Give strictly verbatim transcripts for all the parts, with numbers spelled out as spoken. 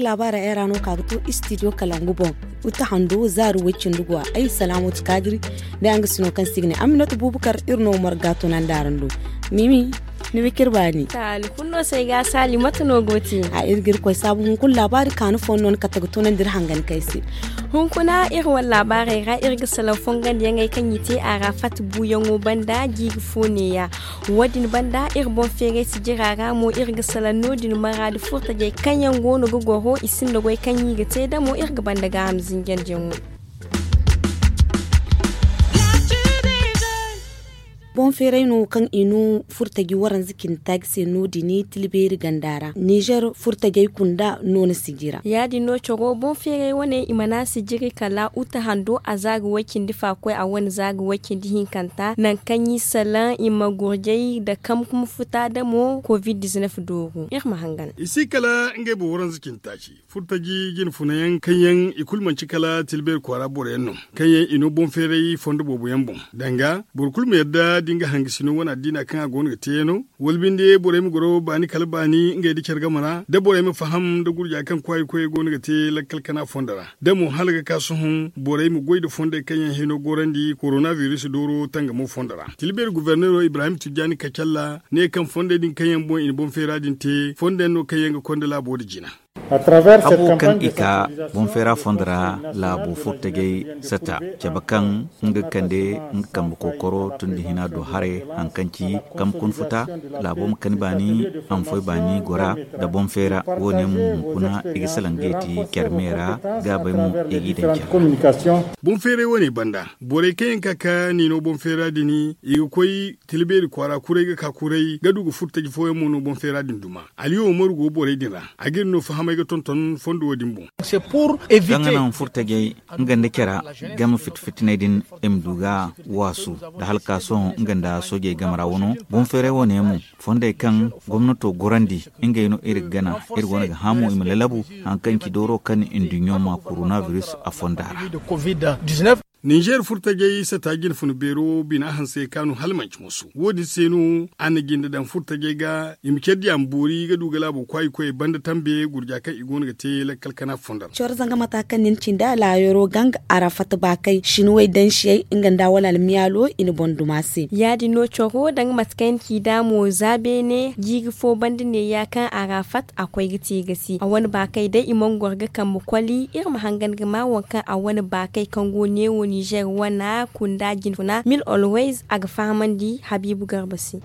Laabaara era no ka ga to istidiyo kalangu boŋ. Uta hando zaari woy cindi go a ay salaamu ti kaadiri. Day araŋ ga si no kaŋ si ga ne aminatu buubukar iri no marga tunandi araŋ do. Mimi, ni ma kir baani. Taali kulu no se ay ga a saali mate no go te? A iri ga iri koy saabu hunkuna laabaari kaanu fooyaŋ no ni kate ga tunandi iri hangan kay se. Hunkuna iri wane laabaarey ra iri ga salaŋ fongandiyaŋey kaŋ i te a ra fat buuyaŋo banda jiiri fo neeya. Wo- din banda iri boŋ feeray sijira ra mo iri ga salaŋ no- din maraadi furtajey kaŋ yaŋ go no ga goro i sinda goy kaŋ i ga te damo iri ga banda gaaham zinjandiyaŋo. Boŋ feeray no kaŋ i no furtaji waranza cindi taaci se no- din tilbeeri ganda ra nizer furtajey kunda no na sijira. Ya- din no coro boŋ feeray wane i mana sijiri kala uta hando a za ga way cindi fa koy a wane za ga way cindi hinkanta nangu kaŋ i salaŋ i ma gurjay nda kamkum futa damo covid dooru iri ma hangan. I si kala ngey boŋ waranza cindi taaci furtaji jine funayaŋ kaŋ yaŋ i kulu manci kala tilbeeri kwaara boro yaŋ no kaŋ yaŋ i no boŋ feeray fondo boobo yaŋ boŋ. Danga boro kulu ma yadda da nga hangasino wane addiina kaŋ a go no ga te yaŋ no wala binde borey ma goro baani kala baani ngey nda care game ra da borey ma faham nda gurja kaŋ kwaayi koyey go no ga te lakkal kana fondo ra da mo hala ga ka sohõ borey ma goy nda fondey kaŋ yaŋ hino gorandi korona biris dooro tangamo fondo ra tilbeeri guberneero ibrahim tijjaani kacalla ne kaŋ fondey din kaŋ yaŋ boŋ i na boŋ feera din te fondo yaŋ no kaŋ yaŋ ga konda laabo nda jina. Habo kaŋ i ka boŋ feera fondo ra laabo furtajey sata cabe kaŋ nga ga kande nga kambe kookoro tun da hina do haray hari kaŋ ci kambe kuna futa laabo ma kani baani a ma foy baani gora nda boŋ feera wo- ne mo hunkuna i ga salaŋ ga i ti care me ra gaabey mo i g'i daŋ care ra. Boŋ feeray wo- ne banda borey kaŋ yaŋ ka ka n'i no boŋ feera din i ga koy tila beeri kwaara kuray ga ka kuray ga du ga furtaji fooyaŋ mo no boŋ feera din duma. Aliyu umaru go borey din ra a ga iri no fahamay ga tonton fondo wo- din boŋ. Kaŋ ga naŋ furtajey nga nda care game fiti fitiney din i ma du ga waasu nda hala ka sohõ nga nda soojey game ra wano boŋ feeray wo- ne mo fondey kaŋ gomnato gorandi ngey no iri ga gana iri go no ga hã mo i ma lalabu hari kaŋ ci dooro kaŋ nduɲɲo ma korona biris a fonda ra. Ninzeer furtajey sata jine funa beero bina hanse kaanu hala manci moso wo- din se no a na jinde daŋ furtajey ga i ma care di a ma boori ga du ga laabo kwaayi koyey banda tambe gurja kaŋ i go no ga te lakkal kana fondo ra. Coro zanga mata kaŋ nin cindi alaayaro ganga a ra fatta baakay sinuwey dansiyey nga nda wala almiyaalo i na boŋ duma se. Ya- din no coro danga mate kaŋ yaŋ ci da mo za beene jiiri fo banda neeya kaŋ a ra fatta a koy ga te ga si a wane baakey day i mana goro ga kambe koli iri ma hangan ga ma waŋ kaŋ a wane baakey kaŋ go neewo nizer wana kunda jinfuna mil olways a ga fahamandi habiibu garba se.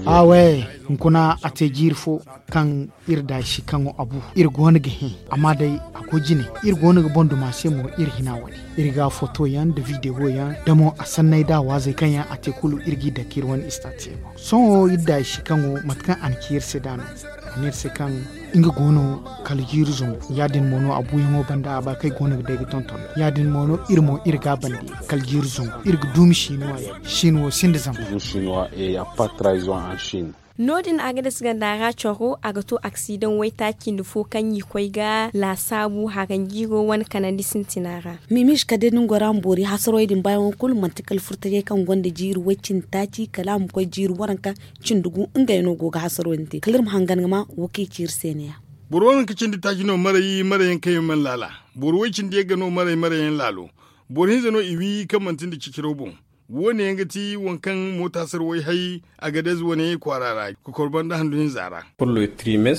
Awe, hunkuna a te jiiri fo kaŋ iri da si kaŋo a bu iri go no ga hẽ. Amma day a go jine iri go no ga boŋ duma se mo iri hina wane iri ga foto yaŋ nda videwo yaŋ da mo a sanney da waazey kaŋ yaŋ a te kulu iri g'i dake iri wane istaati se boŋ sohõ iri da si kaŋo mate kaŋ a na ci iri se da no a ne iri se kaŋ nga go no kala jiiri zangu ya- din mo no a buuyaŋo banda a ba kaŋ ay go no ga day ga tonton ya- din mo no iri mo iri ga a bandi kala jiiri zangu iri ga duumi sinuwa yaŋ sinuwo sinda zama. No- din a ga dasa ganda ra coro a ga to aksidaŋ waytaaci nda fo kaŋ i koy ga laasaabu haranjiiro wane kanandi sintina ra. Mimis kala day da ni goro a ma boori hasarwey din baayaŋo kulu manti kala furtajey kaŋ gonda jiiri way-cindi taaci kala a ma koy jiiri waranka cindi gu ngey no go ga hasarwey din te kala iri ma hangan ga ma wo kaŋ i ci iri se ne- ya. Boro waranka cindi taaci no maray maray yaŋ kaŋ yaŋ mana laala. Boro way-cindi yaŋ ga no maray maray yaŋ laalo. Boro hinza no i wi kaŋ manti nda ciciraw boŋ. Wo- ne yaŋ ga ti waŋ kaŋ moota sarway hay agadez wane kwaara ra ga korba nda handu hinza ra.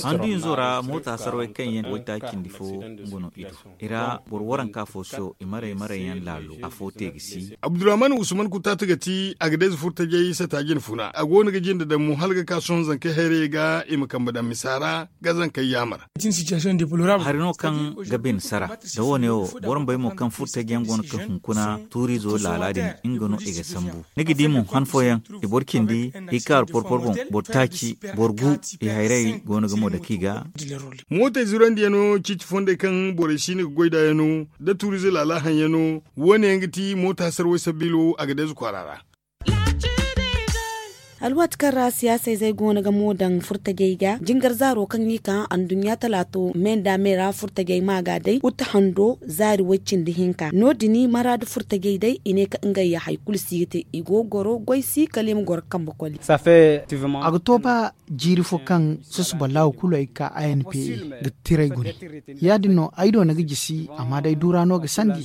Handu hinzo ra moota sarway kaŋ yaŋ waytaaci cindi fo nga no i do. I ra boro waranka fo siyo i maray maray yaŋ laalo afo te ga si. Abdurrahman usman kutaatu ga ti agadez furtajey sata jine funa a go no ga jinde daŋ mo hala ga ka sohõ zankey hayrayey ga i ma kambe daŋ misa ra ga zankey yaamar. Hari no kaŋ ga bine sara da wo- ne wo boro ma bay mo kaŋ furtajey yaŋ go no ga hunkuna tuuriizo laala din nga no i ga sambu. Ni ga di mo han fooyaŋ i boro cindi i kaaru porpor boŋ boro taaci boro gu i hayray go no ga mo dake i ga. Mootey zurandiyaŋo ciiti fondey kaŋ borey si no ga goy nd'a yaŋo nda tuuriize laala haŋ yaŋo wo- ne yaŋ ga ti moota sarway sabiilo a ga deeze kwaara ra. Alwaati kaŋ ra siyaasa izey go no ga mo daŋ furtajey ga jingar zaaro kaŋ i ka anduɲɲa talaato me nda me ra furtajey ma ga day uta hando zaari way- cindi hinka no- din maraadu furtajey day i ne kaŋ ngey ya hari kulu si ga te i go ga goro goy si kala i ma goro kambe koli. A ga to ba jiiri fo kaŋ susuba laawo kulu ay ga ka a n p a ga tiray gune. Ya- din no ay do ni ga jisi amma day duura no ga sandi.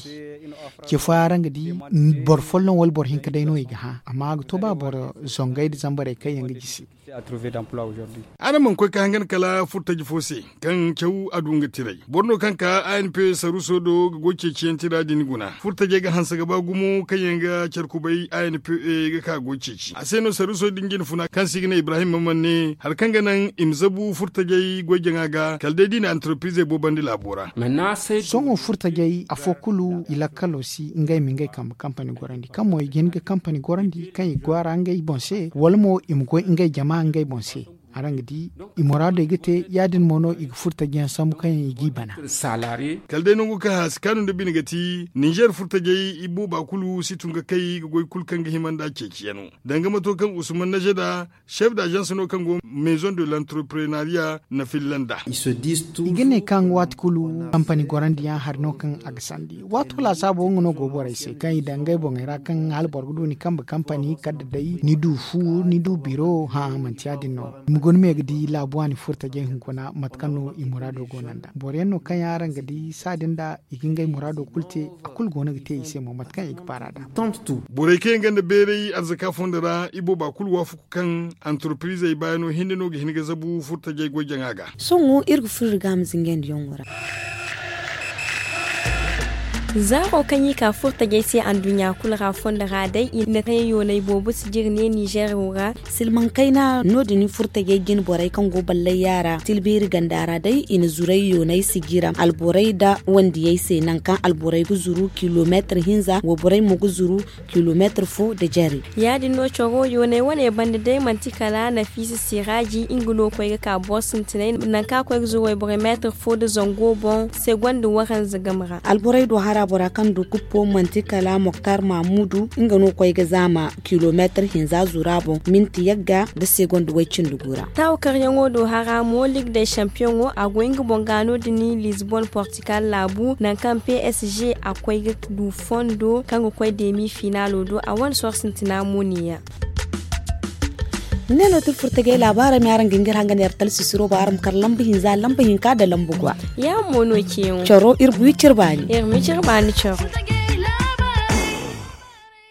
Ce fooyaŋ ra nga di boro folloŋ wala boro hinka day no i ga hã amma a ga to ba boro zongey nda zambarey kaŋ yaŋ ga jisi. Araŋ mana koy ka hangan kala furtaji fo se kaŋ caw a du nga tiray boro no kaŋ ka a n p saruso do ga goy ceeciyaŋ tira din guna furtajey ga hanse ga ba gumo kaŋ yaŋ ga care kubay a n p a ga ka goy ceeci a se no saruso din jinfuna kaŋ se i ga ne ibrahim mamman ne hari kaŋ ga naŋ i ma zabu furtajey goy jaŋa ga kala day da i na antarprizey boobandi laabo ra. Sohõ furtajey afo kulu i lakkalo si ngey ma ngey kambe kampani gorandi kaŋ mo i ga hin ga kampani gorandi kaŋ i ga gwaara ngey boŋ se wala mo i ma goy ngey jama ngey boŋ se. Araŋ ga di i muraadey ga te ya- din mo no i ga furtaji yaŋ sambu kaŋ yaŋ i g'i bana. Kala day nangu kaŋ haasi kaanu nda bine ga ti ninzeer furtajey i booba kulu si tun ga kay ga goy kulu kaŋ ga hima nd'a ceeciyaŋo danga mato kaŋ usman najeda chef d'agence no kaŋ go maison de l'entreprenariat na filla nd'a. I ga ne kaŋ waati kulu kampani gorandiyaŋ hari no kaŋ a ga sandi waato laasaabo nga no go borey se kaŋ i daŋ ngey boŋey ra kaŋ hala boro ga du ni kambe kampani kala da day ni du fu ni du biro hã manti ya- din no. I ma guna me ga di laabu waani furtajey hunkuna mate kaŋ no i muraado go no nd'a boro yaŋ no kaŋ yaŋ araŋ ga di saadin da i ga ngey muraado kulu te a kulu go no ga te i se mo mate kaŋ i ga baar'a nd'a. Borey kaŋ yaŋ gonda beeray arzaka fondo ra i booba kulu waafaku kaŋ antarprizey baayano hinne no ga hin ga zabu furtajey goy jaŋa ga. Sohõ iri ga furo iri ga a ma zinjandi yaŋo ra. Zaaro kaŋ i ka furtajey se anduɲɲa kulu ra fondo ra day i na te yoonay boobo si jire ne ninzeer wo ra. Silmaŋ kayna no- din furtajey jine borey kaŋ go ballayya ra tilbeeri ganda ra day i na zuray yoonay si jire alborey nda wandiyey se nangu kaŋ alborey ga zuru kilomeetir hinza wayborey mo ga zuru kilomeetir fo nda jare. Ya- din no caro yooney wane banda day manti kala nafiisa siraaji nga no koy ga ka boro sintinay nangu kaŋ a koy ga zuru wayborey meetir fo nda zango boŋ segonda waranza game ra. Alborey do hara bora kaŋ du kuppo manti kala moktar mamudu nga no koy ga zaama kilomeetir hinza zura boŋ minti yagga nda segonda way- cindi gu ra. Taawa karyaŋo do hara mo ligue de champiyoŋo a goy nga boŋ ga no- din lisbon portugal laabu nangu kaŋ p s g a koy ga du fondo kaŋ ga koy demi finalo do a wane sohõ sintina mo ne- ya. Ne no ti furtajey laabaarey ma araŋ ga hin ga iri hangan yar talsisiro ba araŋ ma kar lamba hinza lamba hinka nda lamba gwa. Ya mo no ceeyaŋo caro iri bu iri cire baani iri ma cire baani caro.